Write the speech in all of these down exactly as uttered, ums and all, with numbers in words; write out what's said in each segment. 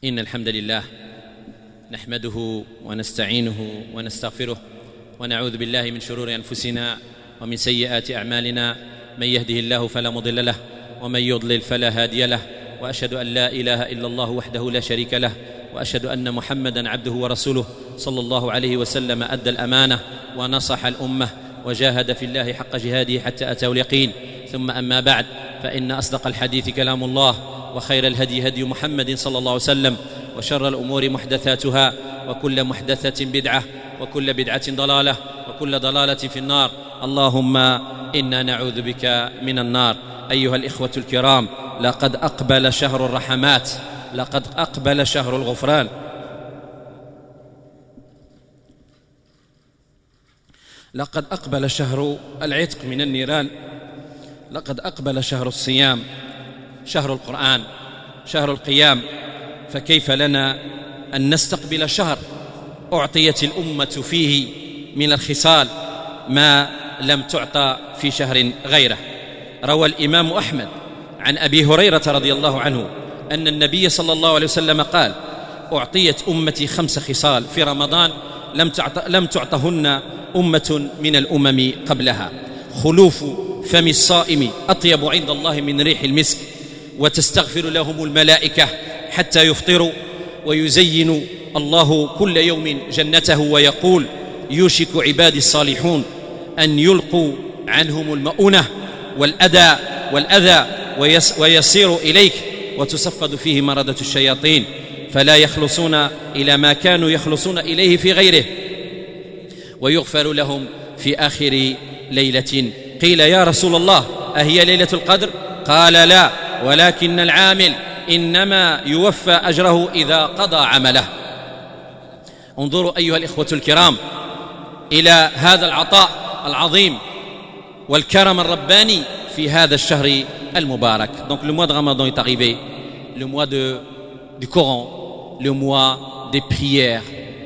إن الحمد لله نحمده ونستعينه ونستغفره ونعوذ بالله من شرور أنفسنا ومن سيئات أعمالنا، من يهده الله فلا مضل له ومن يضلل فلا هادي له، وأشهد أن لا إله إلا الله وحده لا شريك له، وأشهد أن محمدا عبده ورسوله صلى الله عليه وسلم، أدى الأمانة ونصح الأمة وجاهد في الله حق جهاده حتى أتاه اليقين. ثم أما بعد، فإن أصدق الحديث كلام الله، وخير الهدي هدي محمد صلى الله عليه وسلم، وشر الأمور محدثاتها، وكل محدثة بدعة، وكل بدعة ضلالة، وكل ضلالة في النار. اللهم إنا نعوذ بك من النار. أيها الإخوة الكرام، لقد أقبل شهر الرحمات، لقد أقبل شهر الغفران، لقد أقبل شهر العتق من النيران، لقد أقبل شهر الصيام، شهر القرآن، شهر القيام. فكيف لنا أن نستقبل شهر أعطيت الأمة فيه من الخصال ما لم تعطى في شهر غيره؟ روى الإمام أحمد عن أبي هريرة رضي الله عنه أن النبي صلى الله عليه وسلم قال: أعطيت أمتي خمس خصال في رمضان لم تعط لم تعطهن أمة من الأمم قبلها: خلوف فم الصائم أطيب عند الله من ريح المسك، وتستغفر لهم الملائكة حتى يفطروا، ويزين الله كل يوم جنته ويقول: يوشك عبادي الصالحون أن يلقوا عنهم المؤونة والأذى والأذى ويصير إليك، وتصفد فيه مردة الشياطين، فلا يخلصون إلى ما كانوا يخلصون إليه في غيره، ويغفر لهم في آخر ليلة. قيل: يا رسول الله، أهي ليلة القدر؟ قال: لا، ولكن العامل إنما يوفى أجره إذا قضى عمله. انظروا أيها الإخوة الكرام إلى هذا العطاء العظيم والكرم الرباني في هذا الشهر المبارك. Donc le mois de Ramadan est arrivé, le mois de, du Coran, le mois des prières,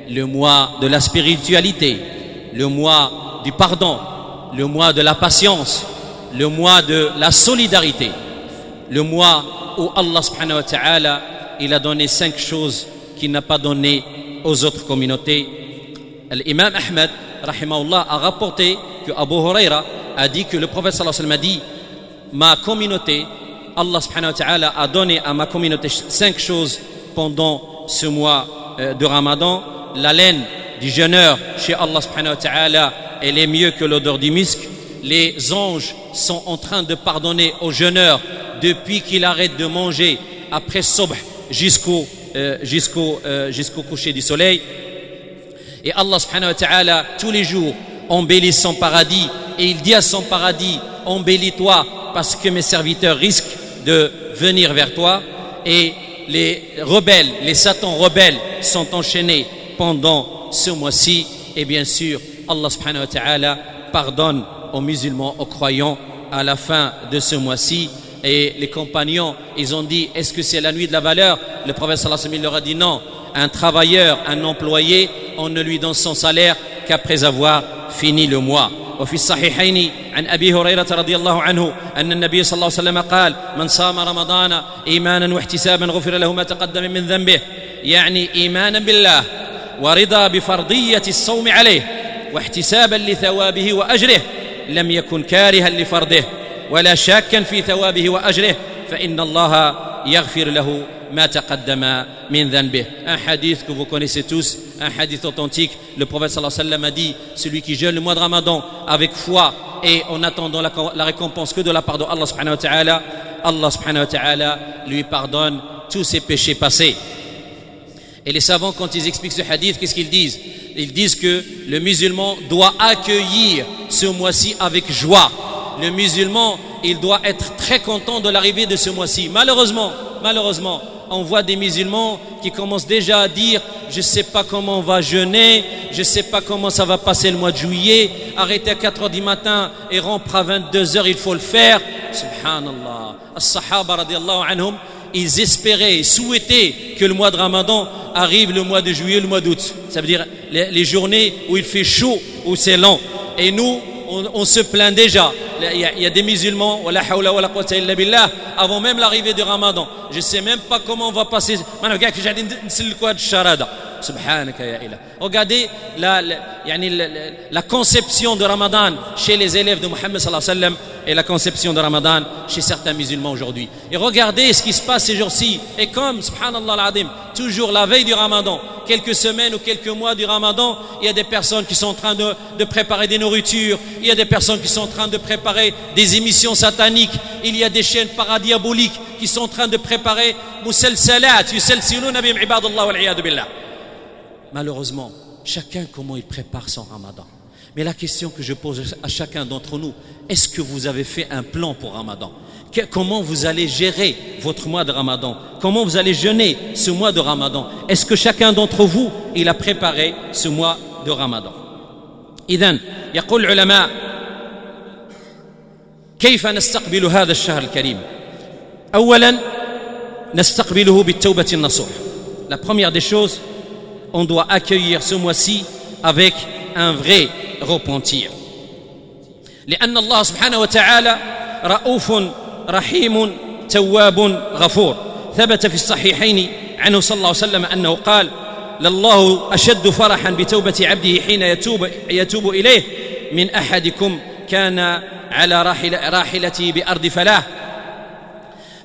le mois de la spiritualité, le mois du pardon, le mois de la patience, le mois de la solidarité, le mois où Allah سبحانه وتعالى il a donné cinq choses qu'il n'a pas donné aux autres communautés. L'imam Ahmed رحمه الله a rapporté que Abu Huraira a dit que le prophète صلى الله عليه وسلم a dit: ma communauté, Allah سبحانه وتعالى a donné à ma communauté cinq choses pendant ce mois de Ramadan. L'haleine du jeûneur chez Allah سبحانه وتعالى, elle est mieux que l'odeur du musc. Les anges sont en train de pardonner au jeûneur depuis qu'il arrête de manger après صبح jusqu'au euh, jusqu'au euh, jusqu'au coucher du soleil. Et Allah سبحانه وتعالى tous les jours embellit son paradis, et il dit à son paradis: embellis-toi parce que mes serviteurs risquent de venir vers toi. Et les rebelles, les satans rebelles sont enchaînés pendant ce mois-ci. Et bien sûr, Allah سبحانه وتعالى pardonne aux musulmans, aux croyants à la fin de ce mois-ci. Et les compagnons, ils ont dit: est-ce que c'est la nuit de la valeur? Le prophète صلى الله عليه وسلم leur a dit: non, un travailleur, un employé, on ne lui donne son salaire qu'après avoir fini le mois. وفي الصحيحين عن أبي هريرة رضي الله عنه أن النبي صلى الله عليه وسلم قال: من صام رمضان إيمانا واحتسابا غفر له ما تقدم من ذنبه. يعني إيمانا بالله ورضا بفرضية الصوم عليه، واحتسابا لثوابه وأجره، لم يكن كارها لفرضه ولا شاكا في ثوابه وأجره، فإن الله يغفر له ما تقدم من ذنبه. Un hadith que vous connaissez tous, un hadith authentique. Le prophète صلى الله عليه وسلم a dit: celui qui jeûne le mois de Ramadan avec foi et en attendant la, la récompense que de la part de Allah سبحانه وتعالى, Allah سبحانه وتعالى lui pardonne tous ses péchés passés. Et les savants, quand ils expliquent ce hadith, qu'est-ce qu'ils disent? Ils disent que le musulman doit accueillir ce mois-ci avec joie. Le musulman, il doit être très content de l'arrivée de ce mois-ci. Malheureusement, malheureusement, on voit des musulmans qui commencent déjà à dire: je sais pas comment on va jeûner, je sais pas comment ça va passer le mois de juillet, arrêter à quatre heures du matin et rompre à vingt-deux heures, il faut le faire. سبحان الله. الصحابة رضي الله عنهم, ils espéraient, ils souhaitaient que le mois de Ramadan arrive le mois de juillet, le mois d'août. Ça veut dire les, les journées où il fait chaud, où c'est long. Et nous, on, on se plaint déjà. Il y a des musulmans, ولا حول ولا قوة إلا بالله, avant même l'arrivée du Ramadan. Je sais même pas comment on va passer. سبحانك يا إله. Regardez la, la, يعني la, la conception de Ramadan chez les élèves de Mohammed صلى الله عليه وسلم et la conception de Ramadan chez certains musulmans aujourd'hui. Et regardez ce qui se passe ces jours-ci. Et comme, سبحان الله العظيم, toujours la veille du Ramadan, quelques semaines ou quelques mois du Ramadan, il y a des personnes qui sont en train de, de préparer des nourritures, il y a des personnes qui sont en train de préparer des émissions sataniques, il y a des chaînes paradiaboliques qui sont en train de préparer مسلسلات يسلسلون بهم عباد الله والعياذ بالله. Malheureusement, chacun comment il prépare son Ramadan. Mais la question que je pose à chacun d'entre nous, est-ce que vous avez fait un plan pour Ramadan? Comment vous allez gérer votre mois de Ramadan? Comment vous allez jeûner ce mois de Ramadan? Est-ce que chacun d'entre vous, il a préparé ce mois de Ramadan? إذن يقول العلماء كيف نستقبل هذا الشهر الكريم؟ أولا نستقبله بالتوبة النصوح. La première des choses, on doit accueillir ce mois-ci avec un vrai repentir. لأن الله سبحانه وتعالى رؤوف رحيم تواب غفور. ثبت في الصحيحين عنه صلى الله عليه وسلم أنه قال: لله أشد فرحا بتوبة عبده حين يتوب, يتوب إليه من أحدكم كان على راحل راحلته بأرض فلاة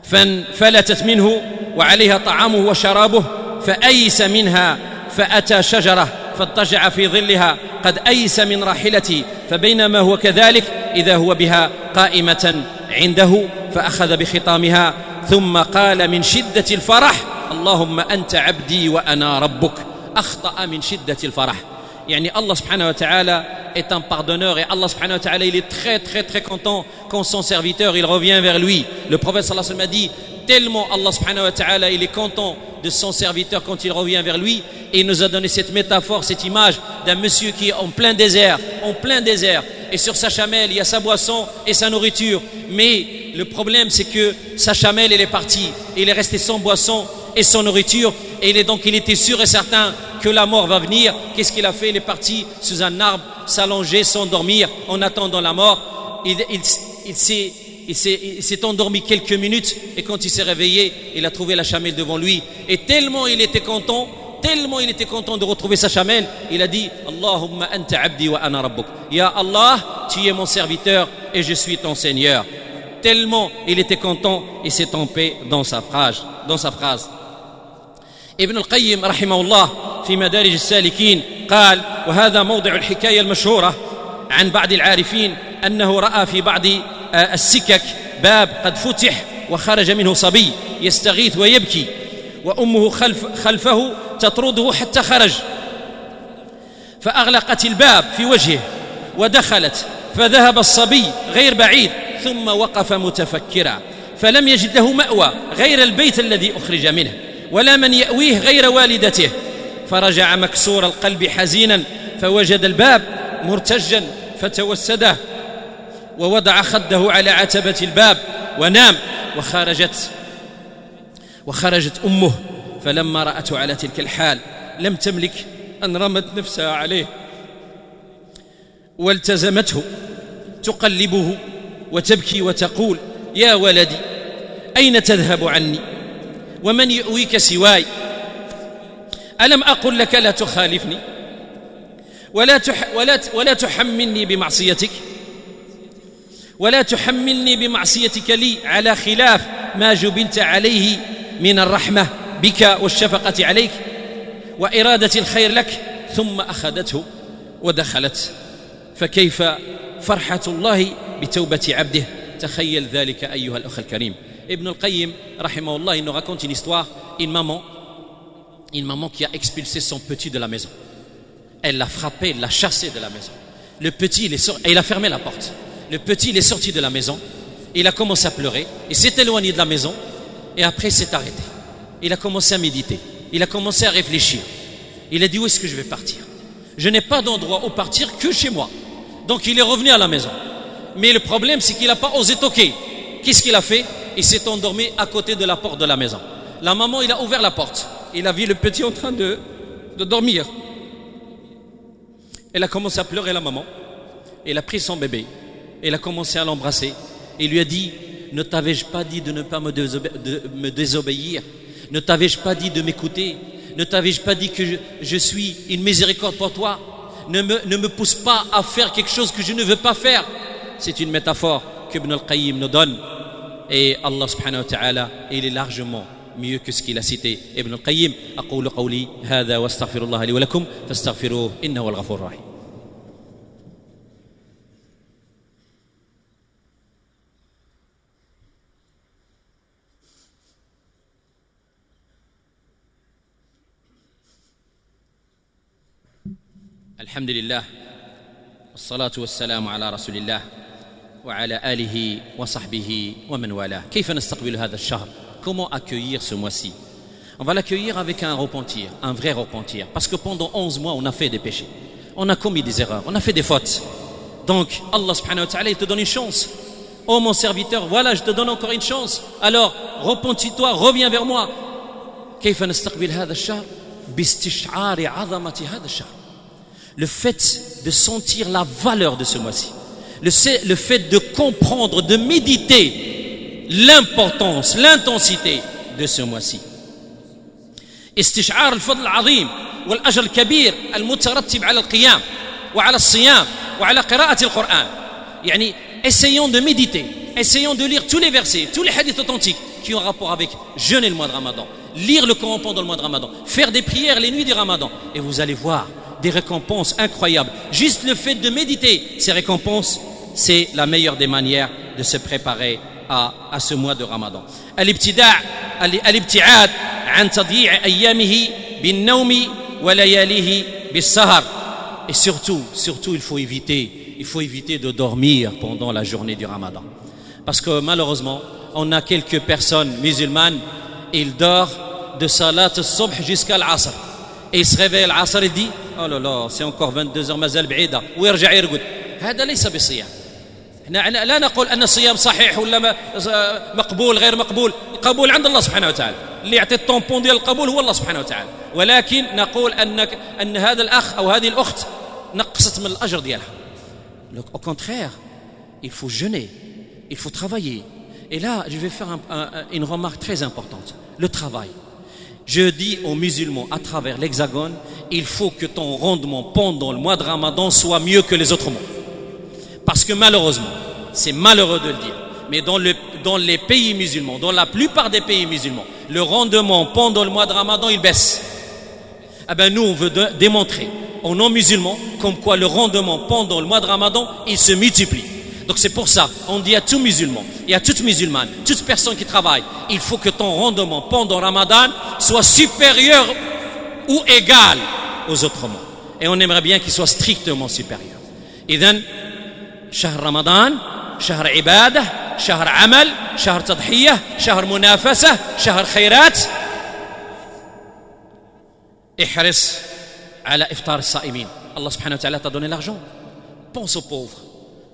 فانفلتت منه وعليها طعامه وشرابه فأيس منها فأتى شجرة فاضطجع في ظلها قد أيس من راحلته فبينما هو كذلك إذا هو بها قائمة عنده فأخذ بخطامها ثم قال من شدة الفرح اللهم أنت عبدي وأنا ربك. أخطأ من شدة الفرح. يعني الله سبحانه وتعالى est un pardonneur et الله سبحانه وتعالى, il est très très très content quand son serviteur, il revient vers lui. Le prophète صلى الله عليه وسلم a dit, tellement الله سبحانه وتعالى, il est content de son serviteur quand il revient vers lui, et il nous a donné cette métaphore, cette image d'un monsieur qui est en plein désert, en plein désert, et sur sa chamelle, il y a sa boisson et sa nourriture. Mais le problème, c'est que sa chamelle, elle est partie. Il est resté sans boisson et sans nourriture. Et il est donc, il était sûr et certain que la mort va venir. Qu'est-ce qu'il a fait? Il est parti sous un arbre, s'allonger, s'endormir en attendant la mort. Il, il, il s'est il s'est endormi quelques minutes et quand il s'est réveillé, il a trouvé la chamelle devant lui. Et tellement il était content, tellement il était content de retrouver sa chamelle, il a dit: اللهم أنت عبدي وأنا ربك. يا الله, tu es mon serviteur et je suis ton Seigneur. Tellement il était content, il s'est trompé dans sa phrase, dans sa phrase. ابن القيم رحمه الله في مدارج السالكين قال: وهذا موضع الحكاية المشهورة عن بعض العارفين أنه رأى في بعض السكك باب قد فتح وخرج منه صبي يستغيث ويبكي وأمه خلف خلفه تطرده حتى خرج فأغلقت الباب في وجهه ودخلت فذهب الصبي غير بعيد ثم وقف متفكرا فلم يجد له مأوى غير البيت الذي أخرج منه ولا من يأويه غير والدته فرجع مكسور القلب حزينا فوجد الباب مرتجا فتوسده ووضع خده على عتبة الباب ونام وخرجت وخرجت أمه فلما رأته على تلك الحال لم تملك أن رمت نفسها عليه والتزمته تقلبه وتبكي وتقول: يا ولدي، أين تذهب عني؟ ومن يؤويك سواي؟ ألم أقل لك لا تخالفني ولا, تح ولا, ولا تحملني بمعصيتك ولا تحملني بمعصيتك لي على خلاف ما جبلت عليه من الرحمة بك والشفقة عليك وإرادة الخير لك؟ ثم أخذته ودخلت. فكيف فرحة الله بتوبة عبده؟ تخيل ذلك أيها الأخ الكريم. ابن القيم رحمه الله, il nous raconte une histoire, une maman une maman qui a expulsé son petit de la maison. Elle l'a frappé, l'a chassé de la maison. Le petit, il est sorti, et il a fermé la porte. Le petit, il est sorti de la maison, il a commencé à pleurer, il s'est éloigné de la maison et après il s'est arrêté. Il a commencé à méditer, il a commencé à réfléchir. Il a dit: où est-ce que je vais partir? Je n'ai pas d'endroit où partir que chez moi. Donc il est revenu à la maison. Mais le problème, c'est qu'il n'a pas osé toquer. Qu'est-ce qu'il a fait? Il s'est endormi à côté de la porte de la maison. La maman, il a ouvert la porte. Il a vu le petit en train de, de dormir. Elle a commencé à pleurer, la maman. Elle a pris son bébé. Il a commencé à l'embrasser. Il lui a dit, ne t'avais-je pas dit de ne pas me, désobé de me désobéir? Ne t'avais-je pas dit de m'écouter? Ne t'avais-je pas dit que je, je suis une miséricorde pour toi? Ne me, ne me pousse pas à faire quelque chose que je ne veux pas faire. C'est une métaphore que Ibn al-Qayyim nous donne. Et Allah سبحانه وتعالى, il est largement mieux que ce qu'il a cité Ibn al-Qayyim. أقول قولي هذا واستغفر الله لي ولكم فاستغفروه إنه هو الغفور الرحيم. الحمد لله والصلاة والسلام على رسول الله وعلى آله وصحبه ومن والاه. كيف نستقبل هذا الشهر؟ Comment accueillir ce mois-ci? On va l'accueillir avec un repentir, un vrai repentir. Parce que pendant onze mois, on a fait des péchés. On a commis des erreurs, on a fait des fautes. Donc, Allah سبحانه وتعالى, il te donne une chance. Oh mon serviteur, voilà, je te donne encore une chance. Alors, repentis-toi, reviens vers moi. كيف نستقبل هذا الشهر؟ باستشعار عظمة هذا الشهر. Le fait de sentir la valeur de ce mois-ci. Le, le fait de comprendre, de méditer l'importance, l'intensité de ce mois-ci. استشعار الفضل العظيم والأجر الكبير المترتب على القيام وعلى الصيام وعلى قراءة القرآن. يعني essayons de méditer, essayons de lire tous les versets, tous les hadiths authentiques qui ont rapport avec jeûner le mois de Ramadan, lire le Coran pendant le mois de Ramadan, faire des prières les nuits du Ramadan, et vous allez voir des récompenses incroyables. Juste le fait de méditer ces récompenses, c'est la meilleure des manières de se préparer à, à ce mois de Ramadan. الابتداع الابتعاد عن تضييع أيامه بالنوم ولياليه بالسهر. Et surtout, surtout, il faut éviter, il faut éviter de dormir pendant la journée du Ramadan. Parce que malheureusement, on a quelques personnes musulmanes, ils dorment de صلاة الصبح jusqu'à العصر. Et il se réveille العصر et dit, oh là là, c'est encore vingt-deux heures, مازال بعيدة, ويرجع يرقد. هذا ليس بصيام. احنا لا نقول أن الصيام صحيح ولا مقبول غير مقبول. القبول عند الله سبحانه وتعالى، اللي يعطي ال tampon ديال القبول هو الله سبحانه وتعالى. ولكن نقول أنك أن هذا الأخ أو هذه الأخت نقصت من الأجر ديالها. Au contraire, il faut jeûner, il faut travailler. Et là, je vais faire un, un, une remarque très importante. Le travail. Je dis aux musulmans à travers l'Hexagone, il faut que ton rendement pendant le mois de Ramadan soit mieux que les autres mois. Parce que malheureusement, c'est malheureux de le dire, mais dans, le, dans les pays musulmans, dans la plupart des pays musulmans, le rendement pendant le mois de Ramadan, il baisse. Eh ben nous, on veut démontrer aux non-musulmans comme quoi le rendement pendant le mois de Ramadan, il se multiplie. Donc c'est pour ça, on dit à tout musulman et à toute musulmane, toute personne qui travaille, il faut que ton rendement pendant Ramadan soit supérieur ou égal aux autres mois. Et on aimerait bien qu'il soit strictement supérieur. إذن شهر رمضان شهر عبادة، شهر عمل، شهر تضحية، شهر منافسة، شهر خيرات. احرص على إفطار الصائمين. الله سبحانه وتعالى t'a donné l'argent. Pense aux pauvres.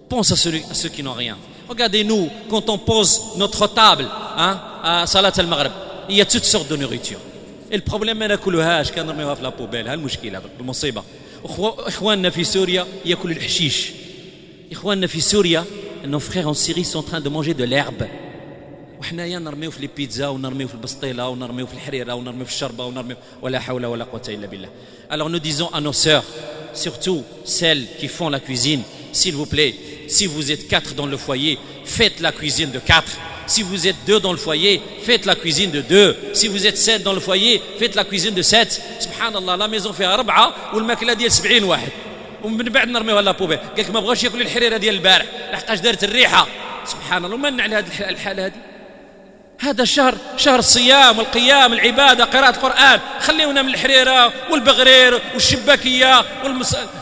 Pense à ceux, à ceux qui n'ont rien. Regardez-nous, quand on pose notre table, hein, à صلاة المغرب, il y a toutes sortes de nourriture. Et le problème ما ناكلوهاش، كنرميوها في la poubelle. ها المشكلة، المصيبة. إخواننا في سوريا ياكلوا الحشيش. إخواننا في سوريا, nos frères en Syrie sont en train de manger de l'herbe. وحنايا نرميو في les pizzas ونرميو في البسطيله ونرميو في الحريره ونرميو في الشربه ونرميو ولا حول ولا قوة إلا بالله. Alors nous disons à nos sœurs, surtout celles qui font la cuisine, s'il vous plaît, si vous êtes quatre dans le foyer, faites la cuisine de quatre. Si vous êtes deux dans le foyer, faites la cuisine de deux. Si vous êtes sept dans le foyer, faites la cuisine de sept. سبحان الله, la maison فيها أربعة والماكلة ديال سبعين واحد. ومن بعد نرميوها la poubelle. قال لك ما بغاوش ياكلوا الحريره ديال البارح لحقاش دارت الريحه. سبحان الله، ومن على هذه الحاله هذه؟ هذا الشهر شهر الصيام والقيام، العباده، قراءه القران. خليونا من الحريره والبغرير والشباكيه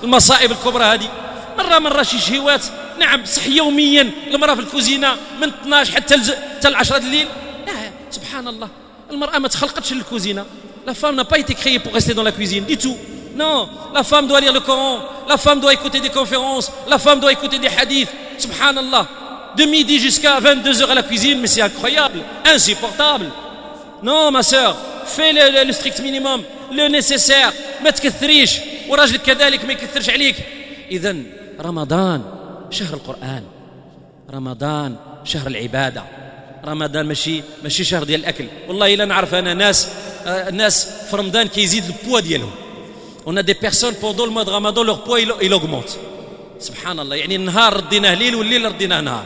والمصائب الكبرى هذه. مره مره شي شهوات، نعم، صح يوميا المراه في الكوزينه من اثناش حتى حتى العشرة الليل، لا سبحان الله، المراه ما تخلقتش للكوزينه. La femme n'a pas été créée pour rester dans la cuisine du tout. Non, la femme doit lire le Coran, la femme doit écouter des conférences, la femme doit écouter des hadiths. سبحان الله, de midi jusqu'à vingt-deux heures à la cuisine, mais c'est incroyable, insupportable. Non, ma sœur, fais le, le, le strict minimum, le nécessaire, ما تكثريش، وراجلك كذلك ما يكثرش عليك. إذن رمضان شهر القرآن، رمضان شهر العبادة، رمضان ماشي ماشي شهر ديال الأكل. والله إلا نعرف أنا ناس ناس في رمضان كيزيد البوا ديالهم. On a des personnes pendant le mois de Ramadan leur poids il, il augmente. سبحان الله، يعني النهار رديناه ليل والليل رديناه نهار.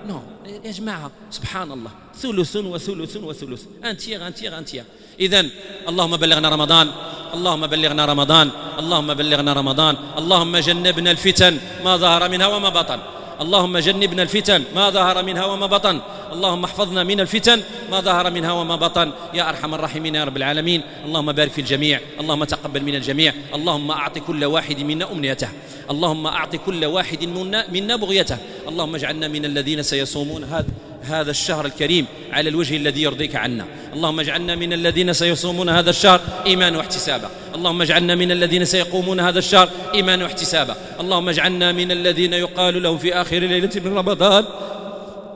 non يا جماعة، سبحان الله، ثلث وثلث وثلث، un tiers un tiers un tiers. إذن اللهم بلغنا رمضان، اللهم بلغنا رمضان، اللهم بلغنا رمضان، اللهم جنبنا الفتن ما ظهر منها وما بطن، اللهم جنبنا الفتن ما ظهر منها وما بطن، اللهم احفظنا من الفتن ما ظهر منها وما بطن يا أرحم الراحمين يا رب العالمين. اللهم بارك في الجميع، اللهم تقبل من الجميع، اللهم أعط كل واحد منا أمنيته، اللهم أعط كل واحد منا, منا بغيته، اللهم اجعلنا من الذين سيصومون هذا هذا الشهر الكريم على الوجه الذي يرضيك عنا، اللهم اجعلنا من الذين سيصومون هذا الشهر إيمانا واحتسابا، اللهم اجعلنا من الذين سيقومون هذا الشهر إيمانا واحتسابا، اللهم اجعلنا من الذين يقال لهم في آخر ليلة من رمضان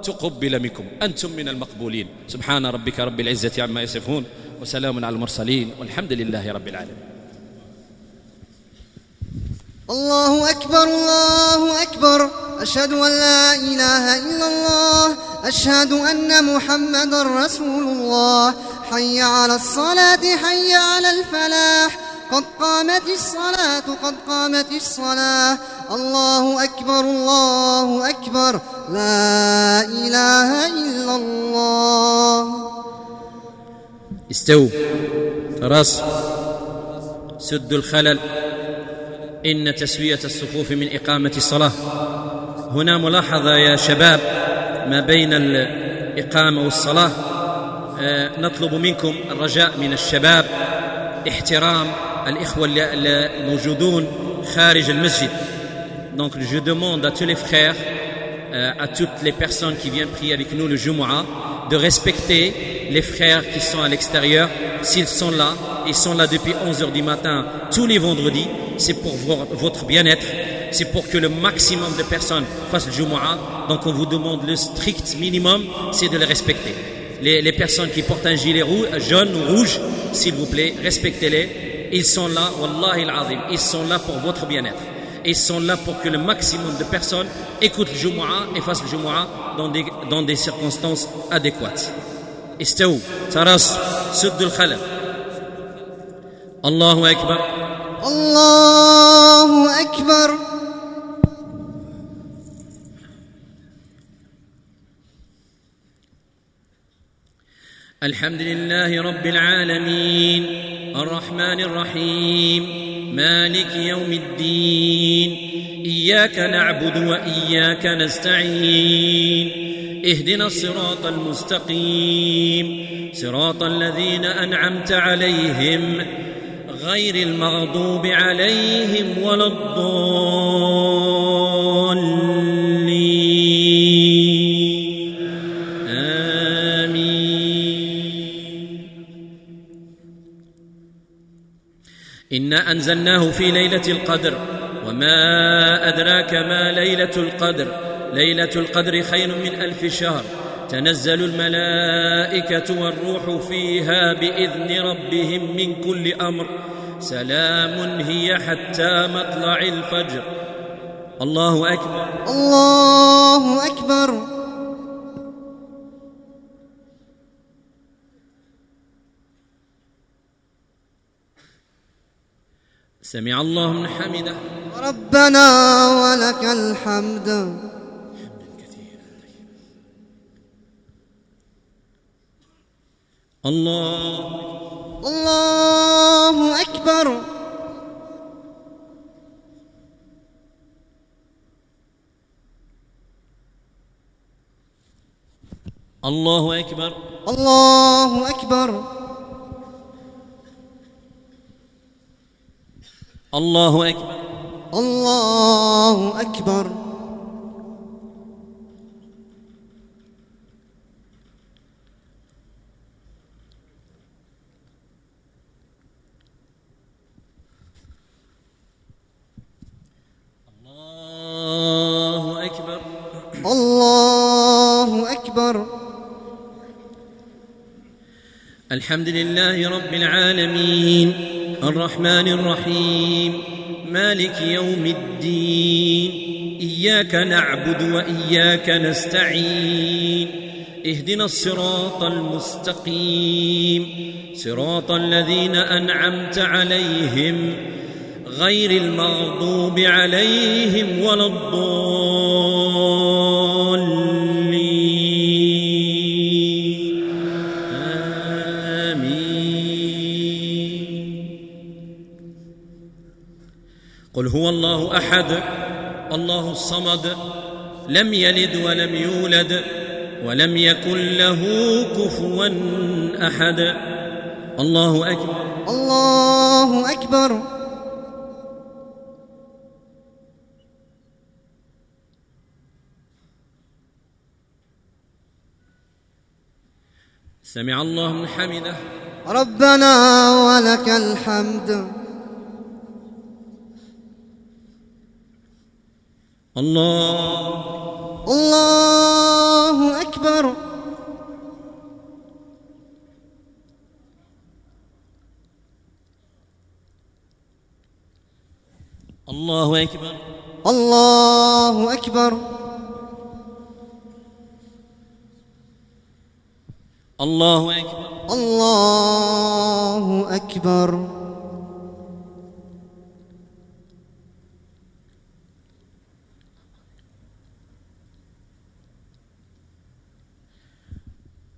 تقبل منكم أنتم من المقبولين. سبحان ربك رب العزة عما يصفون وسلام على المرسلين والحمد لله رب العالمين. الله أكبر الله أكبر، أشهد أن لا إله إلا الله، أشهد أن محمد رسول الله، حي على الصلاة حي على الفلاح، قد قامت الصلاة قد قامت الصلاة، الله أكبر الله أكبر، لا إله إلا الله. استووا، تراصوا، سدوا الخلل. إن تسوية الصفوف من إقامة الصلاة. هنا ملاحظة يا شباب ما بين الإقامة والصلاة، نطلب منكم الرجاء من الشباب احترام الإخوة الموجودون خارج المسجد. Donc je demande à tous les frères, à toutes les personnes qui viennent prier avec nous le Jumu'ah, de respecter les frères qui sont à l'extérieur. S'ils sont là, ils sont là depuis onze heures du matin tous les vendredis, c'est pour votre bien-être, c'est pour que le maximum de personnes fassent le Jumu'ah. Donc on vous demande le strict minimum, c'est de les respecter. Les, les personnes qui portent un gilet rouge, jaune ou rouge, s'il vous plaît, respectez-les. Ils sont là, wallahi al-azim, ils sont là pour votre bien-être. Ils sont là pour que le maximum de personnes écoutent le Jumu'ah et fassent le Jumu'ah dans des, dans des circonstances adéquates. استووا، تراصوا، سدوا الخلل. الله أكبر. الله أكبر. الحمد لله رب العالمين، الرحمن الرحيم، مالك يوم الدين، إياك نعبد وإياك نستعين، اهدنا الصراط المستقيم، صراط الذين أنعمت عليهم غير المغضوب عليهم ولا الضالين. آمين. إنا أنزلناه في ليلة القدر، وما أدراك ما ليلة القدر، ليلة القدر خير من ألف شهر، تنزل الملائكة والروح فيها بإذن ربهم من كل أمر، سلام هي حتى مطلع الفجر. الله أكبر. الله أكبر. سمع الله من حمده. ربنا ولك الحمد. الله الله أكبر. الله أكبر. الله أكبر. الله أكبر. الله أكبر. الله أكبر. الله أكبر. الحمد لله رب العالمين، الرحمن الرحيم، مالك يوم الدين، إياك نعبد وإياك نستعين اهدنا الصراط المستقيم صراط الذين أنعمت عليهم غير المغضوب عليهم ولا الضالين. آمين. قل هو الله أحد، الله الصمد، لم يلد ولم يولد ولم يكن له كفوا أحد. الله أكبر. الله أكبر. سمع الله من حمده. ربنا ولك الحمد. الله الله أكبر. الله أكبر. الله أكبر. الله أكبر. الله أكبر.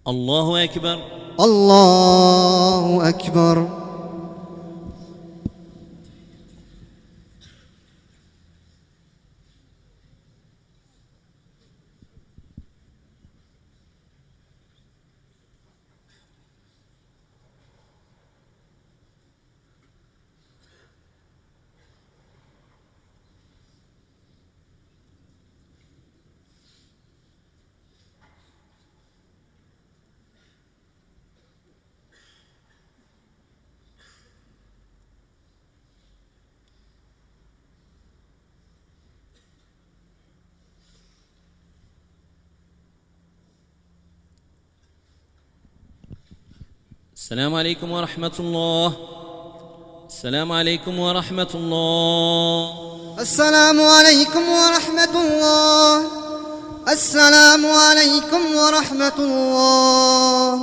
الله أكبر. الله أكبر. السلام عليكم ورحمة الله. السلام عليكم ورحمة الله. السلام عليكم ورحمة الله. السلام عليكم ورحمة الله.